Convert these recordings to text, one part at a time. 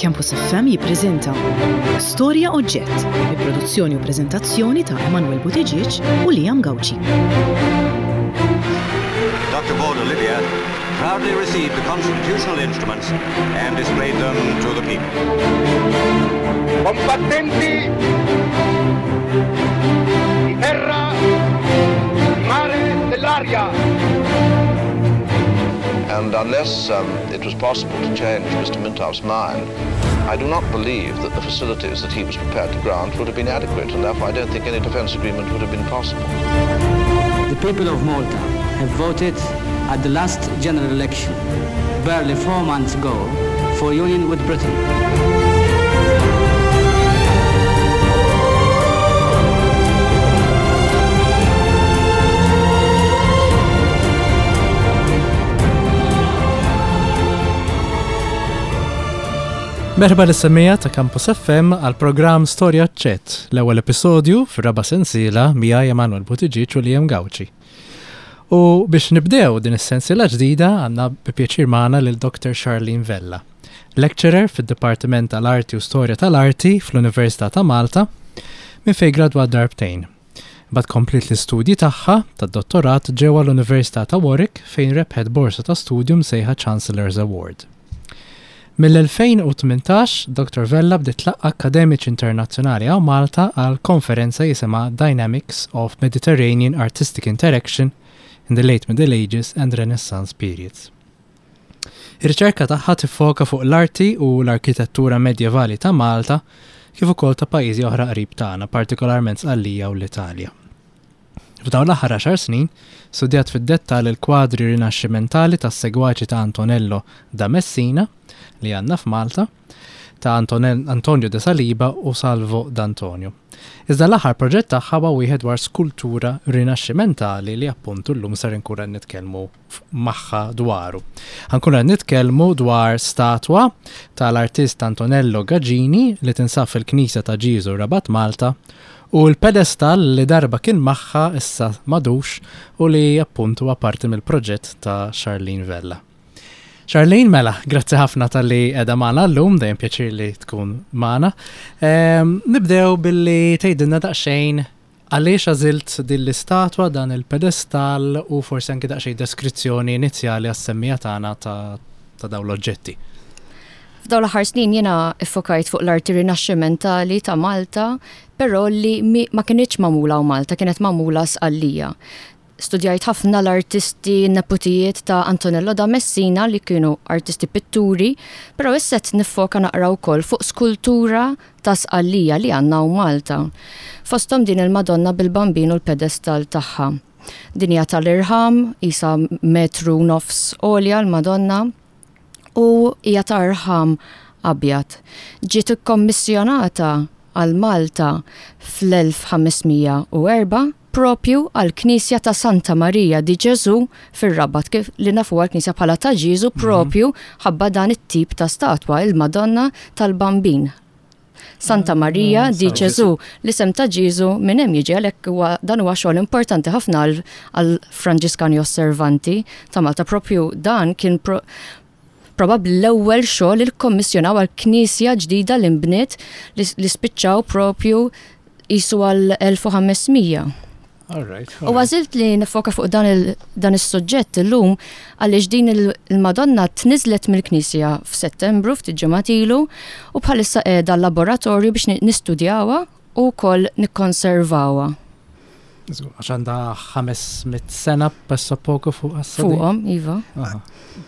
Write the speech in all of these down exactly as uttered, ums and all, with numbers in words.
Campus F M jippreżenta Storja Oġġett bi produzzjoni u preżentazzjoni ta' Emanuel Buttigieg u Liam Gauci. Doctor Borg Olivier proudly received the constitutional instruments and displayed them to the people. Combattenti di terra, di mare, dell'aria. And unless um, it was possible to change Mister Mintoff's mind, I do not believe that the facilities that he was prepared to grant would have been adequate, and therefore I don't think any defence agreement would have been possible. The people of Malta have voted at the last general election, barely four months ago, for union with Britain. Merħba lis-semmiegħa ta' Campus F M għal programm Storja Oġġett, l-ewwel episodju fir-raba' sensiela miegħi Emanuel Buttigieg u Liam Gauci. U biex nibdew din is-sensiela ġdida għandna bi pjaċir magħna lil Doctor Charlene Vella, lecturer fid-Dipartiment tal-Arti u Storja tal-Arti fl-Università ta' Malta, minn fejn gradwat darbtejn. Imbagħad kompliet l-istudji tagħha tad-dottorat ġewwa l-Università ta' Warwick, fejn rebħet borsa ta' studju msejħa Chancellor's Award. Mill-elfejn u tmintax, Doctor Vella bdiet tlaqqa' akademiċi internazzjonali hawn Malta għal konferenza jisimha Dynamics of Mediterranean Artistic Interaction in the Late Middle Ages and Renaissance Periods. Ir-riċerka tagħha tiffoka fuq l-arti u l-arkitettura medjevali ta' Malta kif ukoll ta' pajjiżi oħra qrib tagħna, partikolarment Sqallija u l-Italja. F'dawn l-aħħar għaxar snin, studjat fid-dettall il-kwadri rinaxximentali tas-segwaċi ta' Antonello da Messina li għandna f'Malta, ta' Antonel Antonio de Saliba u Salvo d'Antonio. Iżda l-aħħar proġett tagħha huwa wieħed dwar skultura rinaxximentali li appuntu llum ser inkunu qed nitkellmu magħha dwaru. Ħa nkunu qed nitkellmu dwar statwa tal-artist Antonello Gagini li tinsab fil-Knisja ta' Ġieżu, Rabat, Malta, u l-pedestal li darba kien magħha issa m'għadux u li appuntu huwa parti mill-proġett ta' Charlene Vella. Charlene, mela, grazzi ħafna talli qiegħda magħna llum, dejjem pjaċir li tkun magħna. Ehm, nibdew billi tgħidilna daqsxejn għaliex għażilt din l-istatwa, dan il-pedestal u forsi anki daqsxejn deskrizzjoni inizjali għas-semmiegħa tagħna ta', ta' dawn l-oġġetti. F'dawn l-aħħar snin jiena iffokajt fuq l-arti rinaxximentali ta' Malta, però li ma kinitx magħmula hawn Malta, kienet magħmula Sqallija. Studjajt ħafna l-artisti neputijiet ta' Antonello da Messina li kienu artisti pitturi, però issa qed niffoka naqra wkoll fuq skultura ta' Sqallija li għandna hawn Malta. Fosthom din il-Madonna bil-Bambin u l-pedestal tagħha. Din hija tal-irħam, isa metru nofs għolja l-Madonna u hija ta' irħam abjad. Ġiet ikkommissjonata għal Malta fl-elf ħames mija u erbgħa propju għal knisja ta' Santa Maria di Ġesu fir-Rabat, kif li nafu għal knisja bħala ta' Ġieżu, propju ħabba dan it-tip ta' statwa, il-Madonna tal-Bambin. Santa Maria di Ġesu, l-isem ta' Ġieżu minn hemm jiġi, għalhekk huwa dan huwa xogħol importanti ħafna għal Franġiskani Osservanti ta' Malta. Propju dan kien pro probabbli l-ewwel xogħol li kkommissjonaw għal knisja ġdida li nbniet li li spiċċaw propju qisu għal elf u ħames mija. All right. U għażilt li nifoka fuq dan il- dan is-suġġett illum għaliex din il- il-Madonna tniżlet mill-Knisja f'Settembru, ftit ġimgħat ilu, u bħalissa qiegħda l-laboratorju biex ni- nistudjawha u wkoll nikkonservawha. Għax għandha ħames mitt sena pressappoco fuq għas Fuqhom, iva.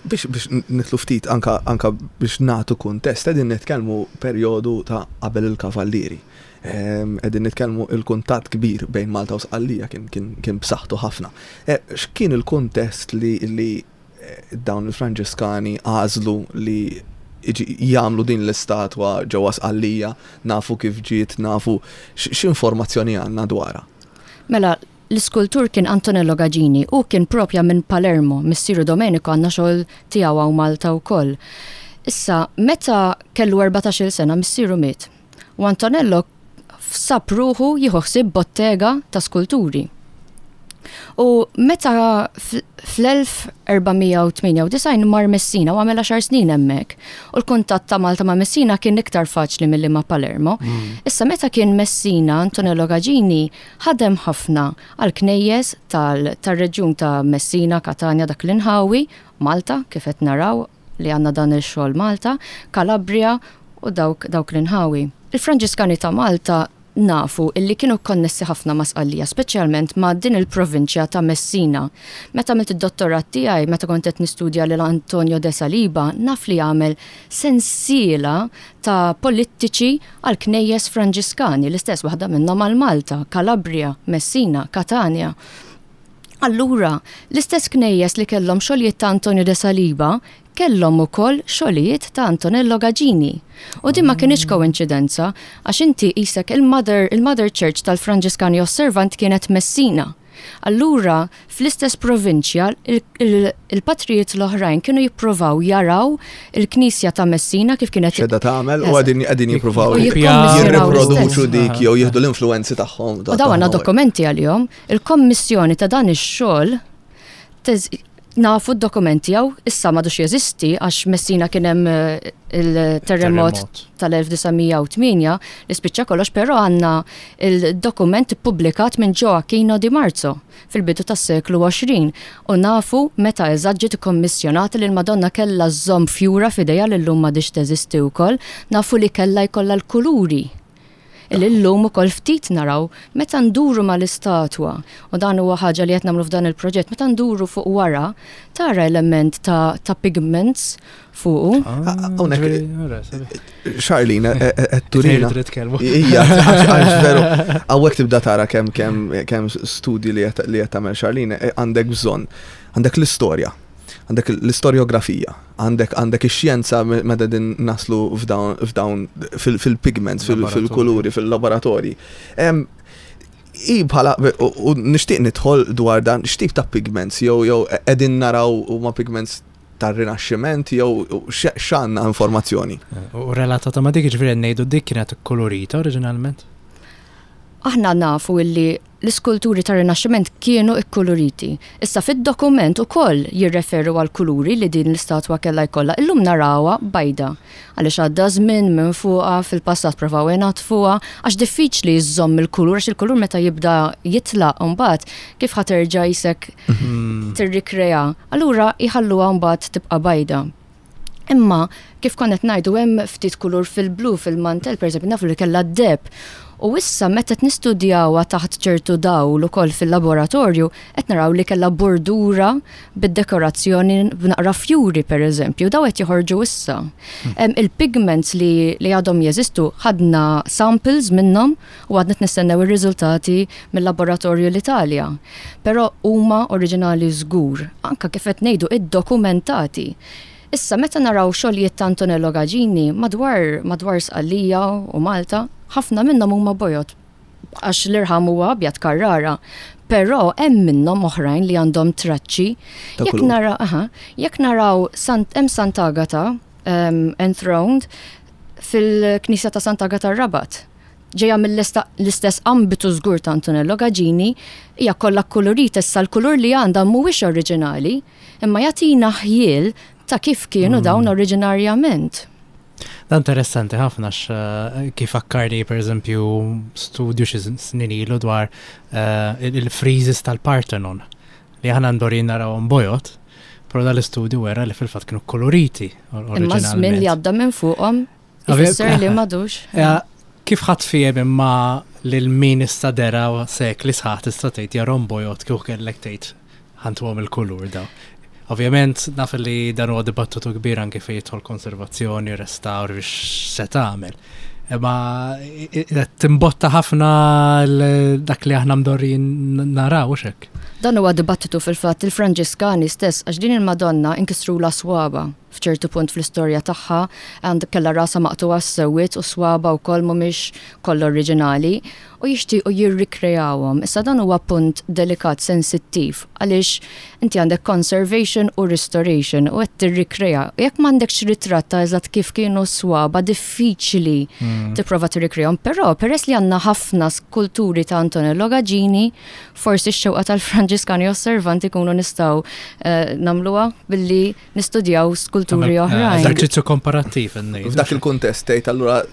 Biex biex nidħlu ftit anka, anka biex nagħtu kuntest, qegħdin nitkellmu perjodu ta' qabel il-Kavallieri. Ehm, Qegħdin nitkellmu il-kuntatt kbir bejn Malta u Sqallija kien kien kien b'saħħtu ħafna. Eh, X'kien il-kuntest li li eh, dawn il-Franġiskani għażlu li iġi- jagħmlu din l-istatwa ġewwa Sqallija, nafu kif ġiet, nafu x- x'informazzjoni għandna dwarha? Mela, l-iskultur kien Antonello Gagini u kien propja minn Palermo, missieru Domenico għandna xogħol tiegħu hawn Malta wkoll. Issa, meta kellu erbatax-il sena, missieru miet. U Antonello sab ruħu jieħu ħsieb bottega ta' skulturi. U meta fl-elf erba' mija u tmienja u disgħin mar Messina u għamel għaxar snin hemmhekk. U l-kuntatt ta' Malta ma' Messina kien iktar faċli milli ma' Palermo. Issa meta kien Messina, Antonello Gagini ħadem ħafna għal knejjes tal-reġjun ta' Messina, Katania, dak l-inħawi, Malta, kif qed naraw li għandna dan il-xogħol Malta, Calabria u dawk, dawk l-inħawi. Il-Franġiskani ta' Malta nafu illi kienu konnessi ħafna ma' Sqallija, speċjalment ma' din il-provinċja ta' Messina. Meta għamilt id-dottorat tiegħi, meta kont qed nistudja lil Antonio de Saliba, naf li għamel sensiela ta' polittiċi għal knejjes Franġiskani, l-istess waħda minnhom għal Malta, Calabria, Messina, Catania. Allura, l-istess knejjes li kellhom xogħlijiet ta' Antonio de Saliba kellhom ukoll xogħlijiet ta' Antonello Gagini. U din ma kienx koinċidenza, għax inti qisek il-Mother il-Mother Church tal-Franġiskani Osservant kienet Messina. Allura, fl-istess provinċja, il-patrijiet l-oħrajn kienu jippruvaw jaraw il-Knisja ta' Messina kif kienet x'qegħda tagħmel u qegħdin qegħdin jippruvaw jirriproduċu dik jew jieħdu l-influenzi tagħhom. U dawn għandna dokumenti għalihom, il-kommissjoni ta' dan ix-xogħol nafu d-dokumenti għaw, issa m'għadux jeżisti għax Messina kien hemm eh, il-terremot tal-elf disa' mija u tmienja li spiċċa kollox, però għandna il-dokument ippubblikat minn Gioacchino di Marzo fil-bidu tas-seklu għoxrin u nafu meta eżatt ġiet ikkommissjonata li l-Madonna kellha żżomm fjura f'idejha li llum m'għadix teżisti wkoll, nafu li kellha jkollha l-kuluri li llum ukoll ftit naraw meta nduru mal-istatwa, u dan huwa ħaġa li qed nagħmlu f'dan il-proġett, meta nduru fuq wara tara element ta', ta pigments fuqu. Hawnhekk Charlene qed turina. Ija, għax veru, hawnhekk tibda tara kemm kemm kemm studji li qed li qed tagħmel Charlene, għandek bżonn, għandek l-istorja, għandek l-istoriografija, għandek għandek ix-xjenza meta din naslu f'dawn f'dawn fil-pigments, fil-kuluri, fil-laboratorji. I bħala, u nixtieq nidħol dwar dan, x'tip ta' pigments, jew jew qegħdin naraw huma pigments tar-Rinaxximent jew x'għandna informazzjoni. U relatata ma' dik, ġifieri ngħidu dik kienet kolorita oriġinalment? Aħna nafu illi l-iskulturi tar-Rinaxximent kienu ikkuluriti. Issa fid-dokument ukoll jirreferu għal kuluri li din l-istatwa kellha jkollha. Illum narawha bajda. Għaliex għadda żmien minn fuqha, fil-passat provaw fuqha, għax diffiċli jżomm il-kulur, għax il-kulur meta jibda jitlaq mbagħad kif ħa terġa' qisek tirrikrea. Allura jħalluha mbagħad tibqa' bajda. Imma kif konna ngħidu, hemm ftit kulur fil-blu fil-mantel, pereżempju, nafu li kellha deheb. U issa meta nistudjawha taħt ċertu dawl ukoll fil-laboratorju, qed naraw li kellha bordura bid-dekorazzjoni b'naqra fjuri, pereżempju, daw qed joħorġu issa. Hmm. Il-pigments li, li għadhom jeżistu, ħadna samples minnhom u għadna nistennew ir-riżultati mill-laboratorju l-Italja. Però huma oriġinali żgur, anka kif qed ngħidu id-dokumentati. Issa meta naraw xogħlijiet ta' Antonello Gagini madwar madwar Sqallija u Malta, ħafna minnhom huma bojod għax l-irħam huwa abjad Carrara. Però hemm minnhom oħrajn li għandhom traċċi. Jekk nara, aha, jekk naraw hemm Sant'Agata um, enthroned fil-Knisja ta' Sant'Agata Rabat. Ġeja mill-istess ambitu żgur ta' Antonello Gagini, hija kollha kolorita. Issa l-kulur li għandha mhuwiex oriġinali, imma jagħtina ħjiel ta' kif kienu mm. dawn oriġinarjament. Dan interessanti ħafna eh, kif fakkarni per eżempju studju xi snin ilu dwar eh, il-friezes tal-Parthenon li aħna mdorrijin narawhom bojod, però dal-istudju wera li fil-fatt kienu koloriti. Imma żmien li għadda minn fuqhom ifisser li m'għadux. Kif ħadd fiehem imma lil min issa dera sekli sħaħ tista' tgħid jarahom bojod kieku kellek tgħid ħa ntuhom il-kulur daw? Ovvjament, naf li dan huwa dibattitu kbir anke fejn jidħol konservazzjoni, restawr, biex se tagħmel. Imma timbotta ħafna dak li aħna mdorrijin naraw hekk. Dan huwa dibattitu fil-fatt il-Franġiskani stess, għax din il-Madonna inkisrulha swaba f'ċertu punt fl-istorja tagħha, għand kellha rasa maqtugħa sewwiet u swaba wkoll mhumiex kollha oriġinali u jixtiequ jirrikreawhom. Issa dan huwa punt delikat, sensittiv, għaliex inti għandek conservation u restoration u qed tirrikrea. Jekk m'għandekx ritratt ta' eżatt kif kienu swaba, diffiċli hmm. tipprova tirrikreahom, però peress li għandna ħafna skulturi ta' Antonello Gagini, forsi x-xewqa tal-Franġiskani Franġiskani Osservanti kunu nistgħu eh, nagħmluha billi nistudjaw skulturi oħrajn. Eżerċizzju komparattiv. F'dak il-kuntest tgħid allura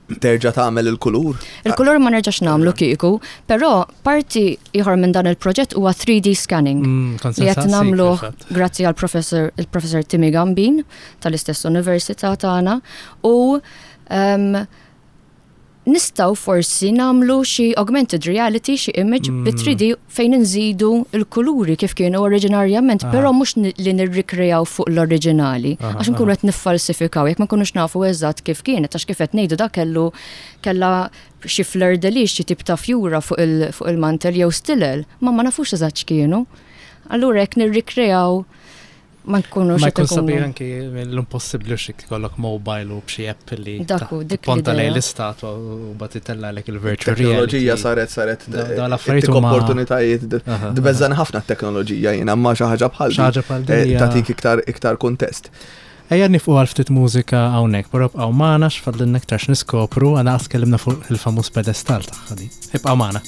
terġa' tagħmel il-kulur? Il-kulur ma nerġax nagħmlu kieku, però parti ieħor minn dan il-proġett huwa three D scanning. Mm, li qed nagħmlu grazzi għal professor il-professor Timmy Gambin tal-istess università tagħna u um, nistgħu forsi nagħmlu xi augmented reality, xi image mm. bi three D fejn nżidu l-kuluri kif kienu oriġinarjament, però mhux li nirrikrejaw fuq l-oriġinali, għax nkunu qed niffalsifikaw jekk ma nkunux nafu eżatt kif kienet, għax kif qed ngħidu dak kellu kellha xi fleur de lis, xi tip ta' fjura fuq il, fuq il-mantel jew stilel, ma ma nafux eżatt x'kienu. Allura jekk nirrikrejaw ma nkunux Ma jkun sabiħ anki l-impossibbli xi jkollok mobile u b'xi app li ponta lejn l-istatwa u bagħad itellgħalek il-virtual reality. Teknoloġija saret saret l-affarijiet huma opportunitajiet tbeżżan ħafna t-teknoloġija jiena ma xi ħaġa bħal xi ħaġa bħal din tagħtik iktar iktar kuntest. Ejja nifqu għal ftit mużika hawnhekk, però bqgħu magħna x'fadlilna iktar x'niskopru, għana qas tkellimna fuq il-famuż pedestal tagħha din. Ibqgħu magħna.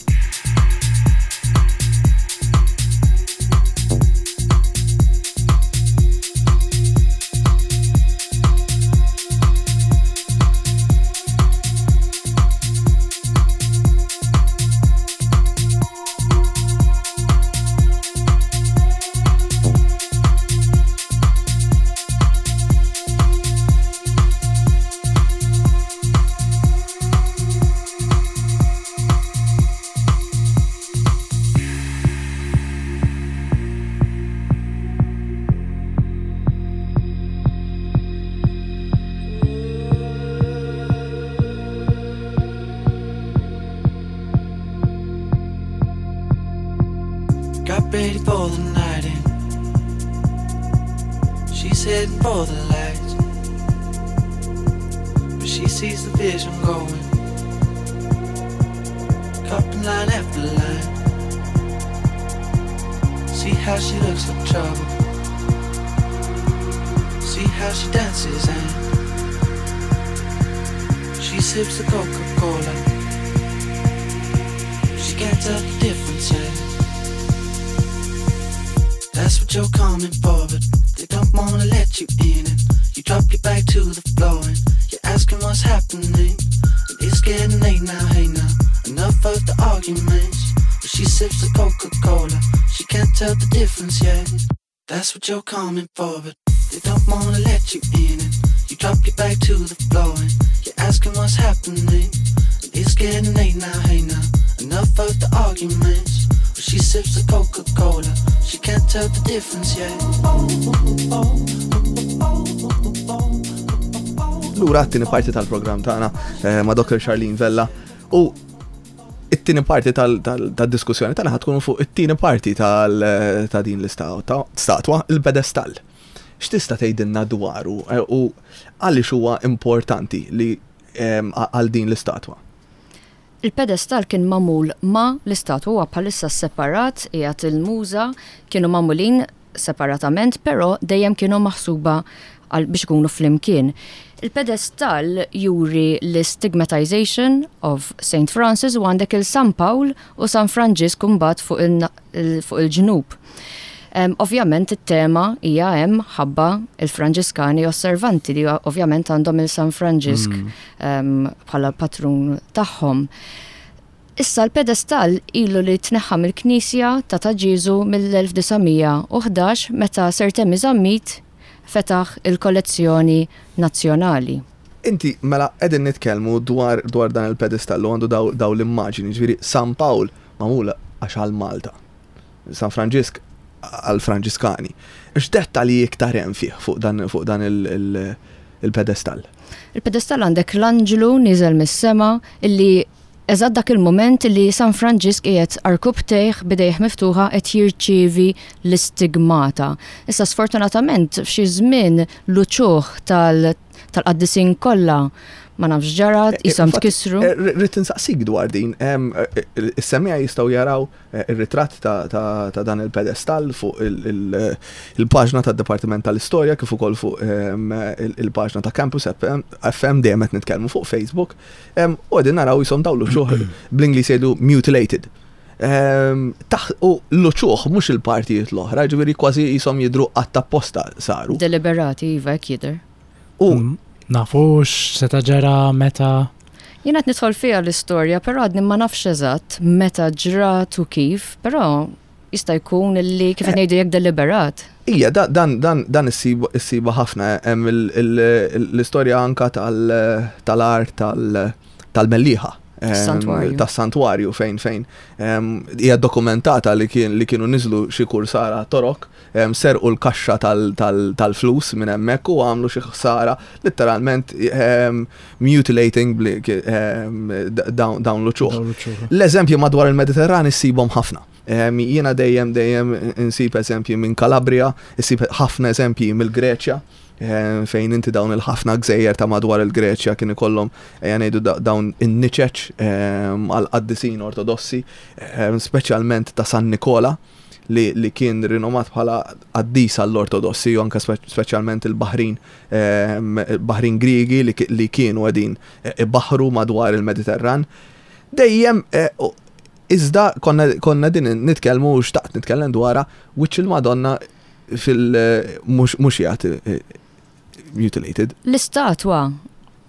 That's what you're coming for, but they don't wanna let you in. And you drop your back to the floor and you're asking what's happening. And it's getting late now, hey now, enough of the arguments. But she sips the Coca-Cola, she can't tell the difference yet. Lura t-tieni parti tal-programm tagħna ma' Doctor Charlene Vella u it-tieni parti tal-diskussjoni tagħna ħatkun fuq it-tieni parti ta' din l-istatwa, il-pedestall. X'tista' tgħidilna dwaru u għaliex huwa importanti li għal din l-istatwa? Il-pedestall kien magħmul ma' l-istatwa, huwa bħalissa separat, qiegħed il-muża, kienu magħmulin separatament, però dejjem kienu maħsuba biex ikunu flimkien. Il-pedestall juri l-stigmatization of Saint Francis u għandek il-San Pawl u San Franġisk mbagħad fuq il-ġnub. Um, ovvjament it-tema hija hemm ħabba il-Franġiskani Osservanti li ovvjament għandhom il-San Franġisk bħala mm. um, patrun tagħhom. Issa l-pedestall ilu li tneħħa mill-Knisja ta' Ta' Ġieżu mill-elf disa' mija u ħdax meta Sir Temi Zammit fetaħ il-kollezzjoni nazzjonali. Inti mela qegħdin nitkellmu dwar dwar dan il-pedestall u għandu daw, daw l-immaġini, ġifieri San Pawl magħmula għax għal Malta, San Franġisk għal Franġiskani. X'dettalji iktar hemm fih fuq dan fuq dan il-pedestall? Il-pedestall għandek l-anġlu niżel mis-sema illi eżatt dak il-moment li San Franġisk qiegħed arkubtejh bidejh miftuħa qed jirċievi l-istigmata. Issa sfortunatament f'xi żmien l-uċuħ tal-qaddisin kollha ma nafx ġara, ishom tkissru. Rrid insaqsik dwar din, is-semmiegħa jistgħu jaraw ir-ritratt ta' dan il-pedestall fuq il-paġna tad-Dipartiment tal-Istorja kif ukoll fuq il-paġna ta' Campus F M dejjem qed nitkellmu fuq Facebook, u qegħdin naraw ishom dawn l-uċuħ bl-Ingliż jgħidu mutilated. Ehm, taħ- U l-uċuħ mhux il-partijiet l-oħra, ġifieri kważi jisom jidru apposta saru. Deliberati, iva, hekk jidher. U Mm, Nafux, seta ġara meta. Jiena qed nidħol fiha l-istorja, però għadni ma nafx eżatt meta ġrat u kif, però jista' jkun illi kif qed ngħidu jekk deliberat. Ija, da- dan, dan, dan issibu issibu ħafna, hemm il- il- l-istorja anka tal- tal-art tal- tal-Mellieħa. Em, Santwarju. Tas-santwarju fejn fejn em, hija dokumentata li kien li kienu niżlu xi kursara torok, em, serqu l-kaxxa tal- tal- tal-flus minn hemmhekk u għamlu xi ħsara letteralment em, mutilating bli- em, dawn dawn l-uċuħ. Dawn l-uċuħ. L-eżempji madwar il-Mediterran issibhom ħafna. Em, Jiena dejjem dejjem insib eżempji minn Calabria, insib ħafna eżempji mill-Greċja, em, fejn inti dawn il-ħafna gżejjer ta' madwar il-Greċja kien ikollhom ejja ngħidu da- dawn in-niċeċ em, għal qaddisin ortodossi, em, speċjalment ta' San Nikola li, li kien rinomat bħala qaddis għall-ortodossi u anke spe- speċjalment il-Baħrin em, il-Baħrin Griegi li, ki- li kienu qegħdin eh, ibaħru madwar il-Mediterran. Dejjem eh, u- iżda konna, konna din nitkellmu u xtaqt nitkellem dwarha wiċċ il-Madonna fil mhux mhux jgħat eh, mutilated. L-istatwa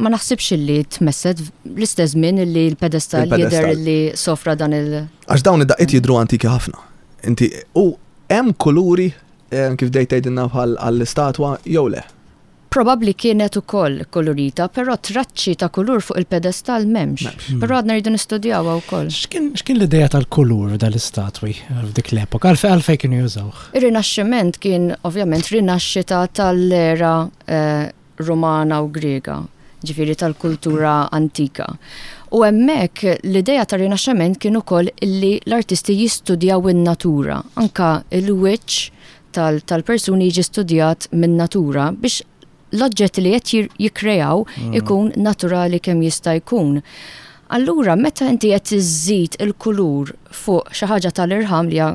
ma naħsibx illi tmesset l-istess żmien illi l-pedestal Il-pedestal. jidher illi sofra dan il- Għax dawn id-daqqiet jidru antiki ħafna. Inti u hemm kuluri eh, kif dejt tgħidilna bħal għall-istatwa jew le. Probabbli kienet ukoll kolorita, però traċċi ta' kulur fuq il-pedestal m'hemmx. M'hemmx. Però għadna rridu nistudjawha wkoll. X'kien x'kien l-idea tal-kulur dal-istatwi f'dik l-epoka? Għalfej għalfej kienu jużawh? Ir-Rinaxximent kien ovvjament rinaxxita tal-era eh, Romana u Griega, ġifieri tal-kultura antika. U hemmhekk l-idea tar-Rinaxximent kien ukoll illi l-artisti jistudjaw in-natura, anka il-wiċċ tal- tal-persuni jiġi studjat min-natura biex l-oġġett li qed jir- jikkreaw ikun naturali kemm jista' jkun. Allura, meta inti qed iżżid il-kulur fuq xi ħaġa tal-irħam li hija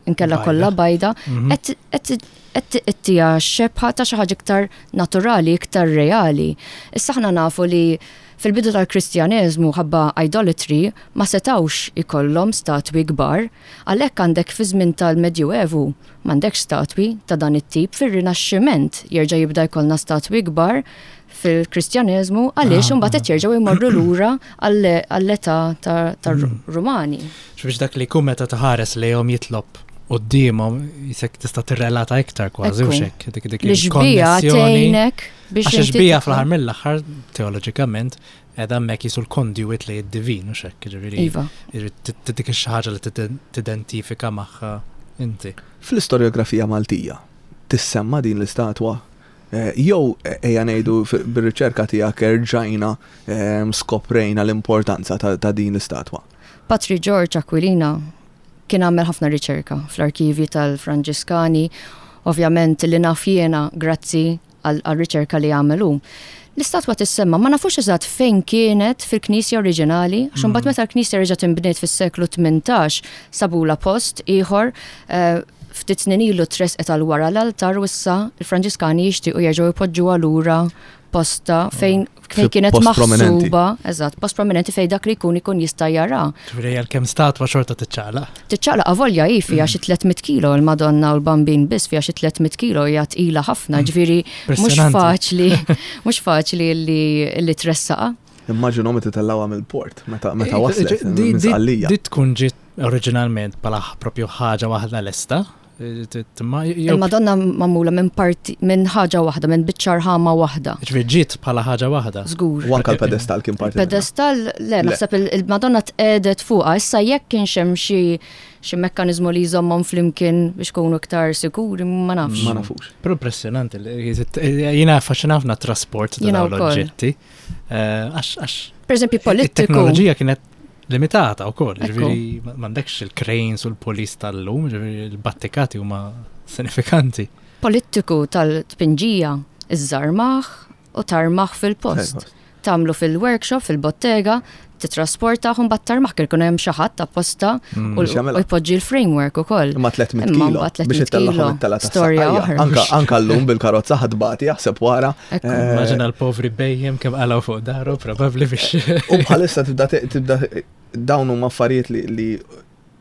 inkella Bajda. kollha bajda, Mhm. qed qed qed ittija xebħa ta' xi ħaġa iktar naturali, iktar reali. Issa aħna nafu li fil-bidu tal-Kristjaneżmu ħabba idolatry ma setawx ikollhom statwi kbar, għalhekk għandek fi żmien tal-Medjuevu m'għandekx statwi ta' dan it-tip fir-Rinaxximent jerġa' jibda jkollna statwi kbar fil-Kristjaneżmu għaliex Ah, imbagħad qed jerġgħu jmorru lura għall- għall-età ta- tar-Rumani. Biex dak li jkun meta taħares lejhom jitlob quddiemhom jisek tista' tirrelata iktar kważi u Ekku. xek. Dik dik L-ixbija il-konnessjoni. tgħinek biex Għax inti ixbija tidħol. fl-aħħar mill-aħħar teoloġikament qiegħda hemmhekk jisu l-conduit li id-divin u xek, ġifieri. Iva. Ġifieri dik xi ħaġa li tidentifika magħha inti. Fl-istoriografija Maltija tissemma din l-istatwa Eh, jew eh, ejja ngħidu f- bir-riċerka tiegħek erġajna em, skoprejna l-importanza ta' ta' din l-istatwa. Patri George Aquilina kien għamel ħafna riċerka fl-arkivi tal-Franġiskani, ovvjament li naf jiena grazzi għal għal riċerka li għamelu. L-istatwa tissemma ma nafux eżatt fejn kienet fil-knisja oriġinali, għax imbagħad meta l-knisja reġgħet inbniet fis-seklu tmintax sabula post ieħor eh, ftit snin ilu tresqet għal wara l-altar u issa il-Franġiskani jixtiequ jerġgħu jpoġġuha lura posta fejn fejn Fi kienet post prominenti. maħsuba, eżatt, post prominenti fejn dak li jkun ikun jista' jara. Ġifieri għalkemm statwa xorta tiċċaqlaq. Tiċċaqlaq avolja hi fiha xi tliet mitt kilo l-Madonna u l-Bambin biss fiha xi tliet mitt kilo hija tqila ħafna, ġifieri mhux Impressionanti. faċli, mhux faċli li li tressaqa. Immaġinu meta tellawha mill-port, meta meta waslet Di- minn di- Sqallija. Di tkun ġiet oriġinalment bħala propju ħaġa waħda lesta. Jew Il-Madonna magħmula minn parti minn ħaġa waħda, minn biċċa rħama waħda. Ġifieri ġiet bħala ħaġa waħda. Żgur. U anka l-pedestal kien parti minnha. Pedestal, le, Le. naħseb il- il-Madonna tqedet fuqha, issa jekk kienx hemm xi xi mekkaniżmu li jżommhom flimkien biex kunu iktar sikuri, ma nafx. Ma nafux. Però impressionanti. li- Jiena affaxxinafna trasport ta' Jiena dawn wkoll. l-oġġetti. Eh, Għax għax Per eżempju, politiku. it-teknoloġija kienet limitata wkoll, Ekku. ġifieri ma- m'għandekx il-cranes u l-polis tal-lum, ġifieri l-battikati huma sinifikanti. Politiku tal-tpinġija, iżżarmaħ u tarmaħ fil-post. Tagħmlu fil-workshop, fil-bottega, titrasporta u mbagħad tarmaħ kien ikun hemm xi ħadd apposta Mm. u Biex jagħmilha. u jpoġġi l-framework ukoll. Imma tliet mitt Imma kilo mbagħad biex tliet mitt ittellagħhom kilo, it-tela ta' storja Saqajja. oħra. Anka anka llum bil-karozza ħadbati jaħseb wara. Ekku. Eh, Immaġina l-povri bejjem kemm qalgħu fuq daru, probabbli biex. U bħalissa tibda tibda dawn huma affarijiet li, li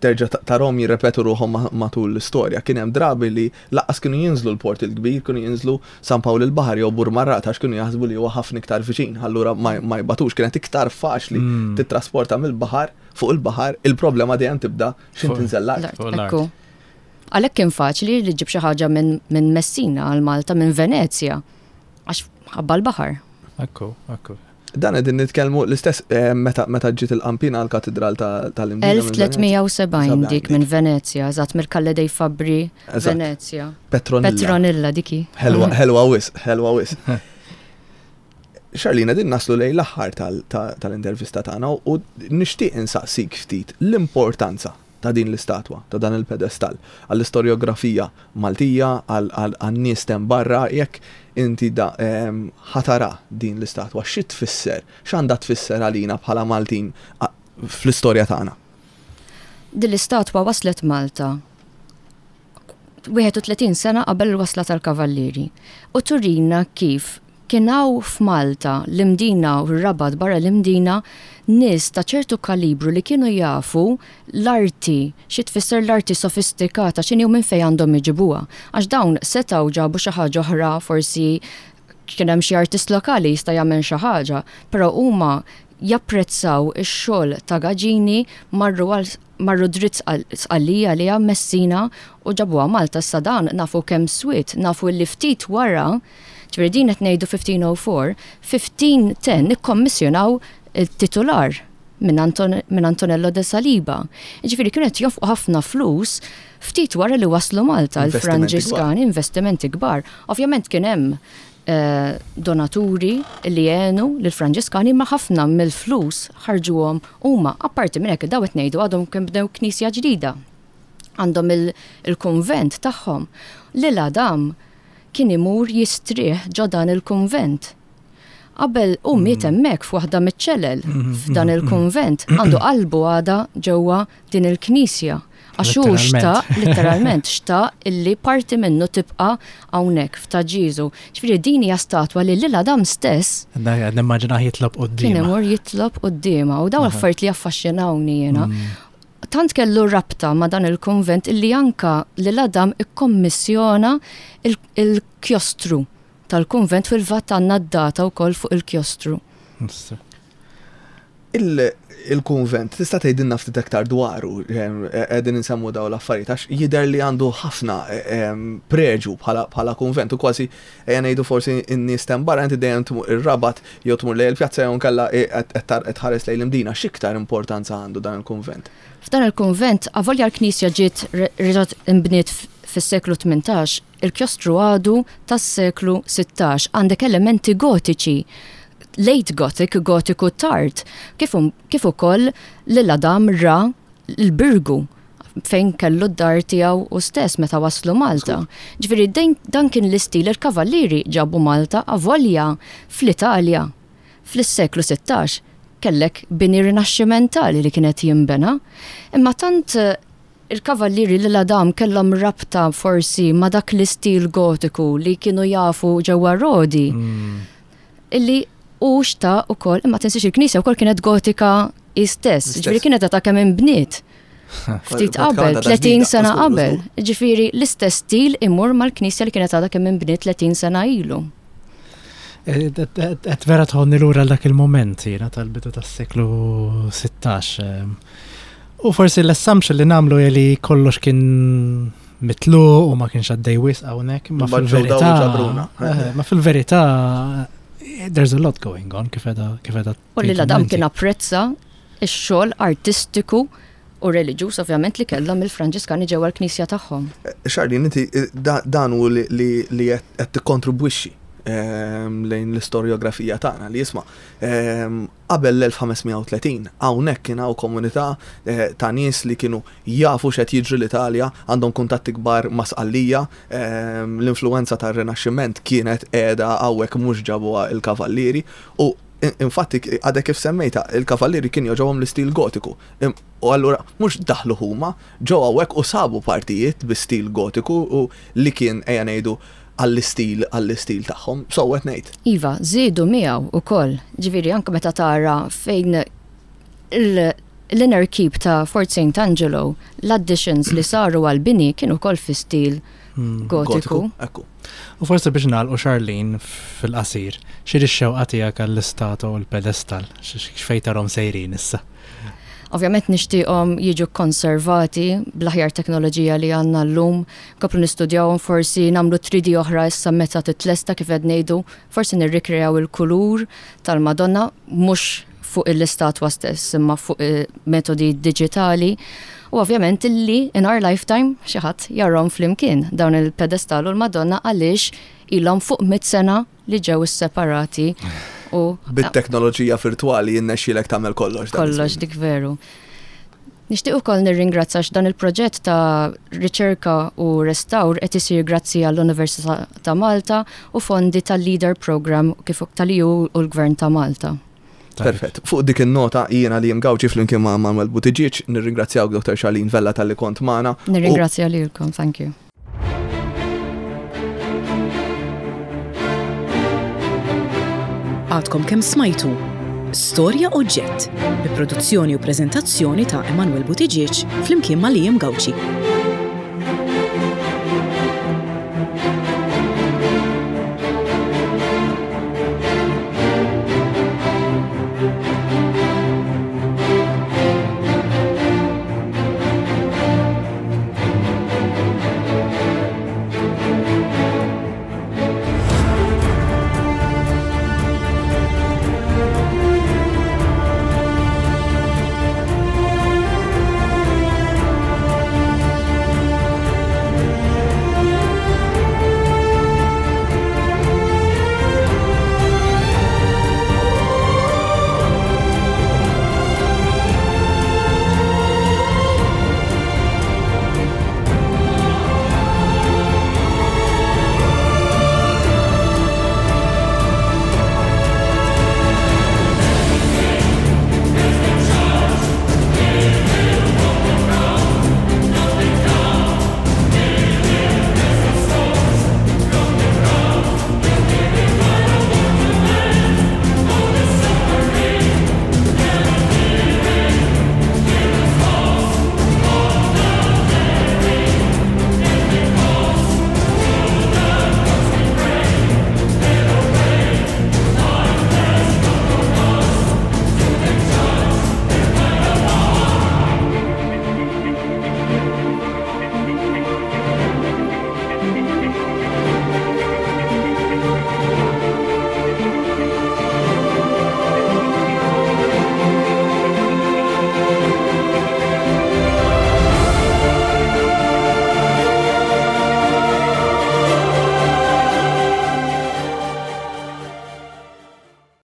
Terġa' tarahom jirrepetu ruħhom matul l-istorja. Kien hemm drabi li lanqas kienu jinżlu l-Port il-Kbir, kienu jinżlu San Pawl il-Baħar jew Burmarrad għax kienu jaħsbu li huwa ħafna iktar viċin, allura ma jbatux, kienet iktar faċli mm. titrasporta mill-baħar fuq il-baħar, il-problema dejjem tibda x'ħin tinżel l-art. Ekku. Għalhekk kien faċli li ġib xi ħaġa minn Messina għal Malta, minn Venezja, għax ħabba l-baħar. Ekku, ekku. Dan qegħdin nitkellmu l-istess eh, meta meta ġiet il-qampina għall-katedral tal-Imdina. elf tliet mija u sebgħin dik minn Venezja, eżatt, mill-Calle dei Fabbri, Venezja. Petronilla. Petronilla diki. Ħelwa wisq, ħelwa wisq. Charlene, din naslu lejn l-aħħar tal-intervista tagħna u nixtieq insaqsik ftit l-importanza ta' din l-istatwa, ta' dan il-pedestal, għall-istorjografija Maltija, għal-nies barra, jekk inti da ħa tara din l-istatwa, xi tfisser, x'għandha tfisser għalina bħala Maltin fl-istorja tagħna? Din l-istatwa waslet Malta wieħed u tletin sena qabel il-wasla tal-Kavallieri u turina kif kien hawn f'Malta, l-Imdina u r-Rabat, barra l-Imdina, nies ta' ċertu kalibru li kienu jafu l-arti, xi tfisser l-arti sofistikata, x'inhi u minn fejn għandhom iġibuha. Għax dawn setgħu ġabu xi ħaġa oħra, forsi kien hemm xi artist lokali jista' jagħmel xi ħaġa, però huma japprezzaw ix-xogħol ta' Gagini, marru għal marru dritt Sqallija li Messina u ġabuha Malta. Issa dan nafu kemm swiet, nafu li ftit wara, ġifieri din qed ngħidu fifteen oh four, fifteen ten ikkommissjonaw il-titular minn Anton minn Antonello de Saliba. Ġifieri kienu qed jonfqu ħafna flus ftit wara li waslu Malta Investimenti. Il-Franġiskani, investimenti kbar. Ovvjament kien hemm eh, donaturi li għenu lill-Franġiskani, ma ħafna mill-flus ħarġuhom huma. Apparti minn hekk, daw qed ngħidu għadhom kemm bdew knisja ġdida. Għandhom il- il-kunvent tagħhom. L'Isle Adam kien imur jistrieħ ġo dan il-kunvent. Qabel u miet hemmhekk f'waħda miċ-ċelel f'dan il-kunvent, għandu qalbu għada ġewwa din il-knisja. Għax hu xtaq, literalment, xtaq illi parti minnu tibqa' hawnhekk f'Ta' Ġieżu. Ġifieri din hija statwa li L'Isle Adam stess Nimmaġina jitlob kien quddiemha. imur jitlob quddiemha u dawn affarijiet li jaffaxxinawni jiena. Tant kellu rabta ma' dan il-konvent illi anka L'Isle Adam ikkommissjona il- il-kjostru tal-konvent. Fil-fatt għandna d-data wkoll fuq il-kjostru. Il-konvent, tista' tgħidilna ftit aktar dwaru, qegħdin insemmu daw l-affarijiet għax jidher li għandu ħafna em, preġu bħala bħala konvent u kważi ejja ngħidu forsi n-nies t'hemm barra, inti dejjem tmur ir-Rabat jew tmur lejn il-pjazza jew nkella qed tħares lejn l-Imdina, x'iktar importanza għandu dan il-konvent? F'dan il-konvent, avolja l-knisja ġiet reġgħet imbniet fis-seklu tmintax, il-kjostru għadu tas-seklu sittax. Għandek elementi gotiċi, late Gothic, gotiku tard, kif, um- kif ukoll L'Isle Adam ra l-Birgu fejn kellu d-dar tiegħu u stess meta waslu Malta. Ġifieri din- dan kien l-istil il-kavallieri ġabu Malta, avolja fl-Italja fl-seklu sittax kellek bini rinaxximentali li kienet jimbena. Imma tant eh, il-kavallieri L'Isle Adam kellhom rabta forsi ma dak l-istil gotiku li kienu jafu ġewwa Rodi. Illi u xtaq ukoll, imma tinsiex il-knisja wkoll kienet gotika istess, ġifieri kienet ta' kemm inbniet. Ftit qabel, tletin sena qabel. Ġifieri l-istess stil imur mal-knisja li kienet għadha kemm inbniet tletin sena ilu. Et vera tħonni lura dak il-moment jiena tal-bidu tas-seklu sittax. U forsi l-assumption li nagħmlu li kollox kien mitluq u ma kienx għaddej wisq hawnhekk, ma fil-verità. Eh, ma fil-verità there's a lot going on kif qegħda kif qegħda. U L'Isle Adam kien apprezza ix-xogħol artistiku u reliġjuż ovvjament li kellhom il-Franġiskani ġewwa l-knisja tagħhom. Charlene, inti dan hu li li qed tikkontribwixxi ehm, lejn l-istorjografija tagħna li jisma' ehm, qabel l-elf ħames mija u tletin hawnhekk kien hawn komunità eh, ta' nies li kienu jafu x'qed jiġri l-Italja, għandhom kuntatti kbar ma' Sqallija, ehm, l-influenza tar-Rinaxximent kienet qiegħda hawnhekk, mhux ġabuha il-Kavallieri, u infatti għadek kif semmejta, il-Kavallieri kien jogħġobhom l-istil gotiku. U allura mhux daħlu huma, ġew hawnhekk u sabu partijiet bi stil gotiku u li kien ejja ngħidu għall-istil għall-istil tagħhom. So qed ngħid. Iva, żiedu miegħu ukoll. Ġifieri anke meta tara fejn L-inner keep ta' Fort Saint Angelo, l-additions li saru għal-bini kienu kol fi stil Hmm. gotiku. Ekku. U forsi biex nagħlqu, Charlene, fil-qasir, x'inhi x-xewqa tiegħek għall-istatwa u l-pedestal, x'fejn tarahom sejrin issa? Ovvjament nixtieqhom jiġu konservati bl-aħjar teknoloġija li għandna llum, nkomplu nistudjawhom, forsi nagħmlu three D oħra issa meta titlesta, kif qed ngħidu, forsi nirrikrejaw il-kulur tal-Madonna mhux fuq l-istatwa stess imma fuq eh, metodi digitali. U ovvjament illi in our lifetime xi ħadd jarahom flimkien dawn il-pedestal u l-Madonna, għaliex ilhom fuq mit sena li ġew isseparati u Bit-teknoloġija virtuali jinnexxielek tagħmel kollox dan kollox iż-żmien. Dik veru. Nixtieq ukoll nirringrazzja għax dan il-proġett ta' riċerka u restawr qed isir grazzi għall-Università ta' Malta u fondi tal-Leader Program kif tal-E U u l-Gvern ta' Malta. Perfett. Fuq dik il-nota jiena li Gawċi flimkien ma' Manuel Buttigieg nirringrazzjawk, Doctor Charlene Vella, talli kont magħna. U Nirringrazzja lilkom, thank you. Għadkom kemm smajtu Storja Oġġett bi produzzjoni u preżentazzjoni ta' Emanuel Buttigieg flimkien ma' Liam Gauci.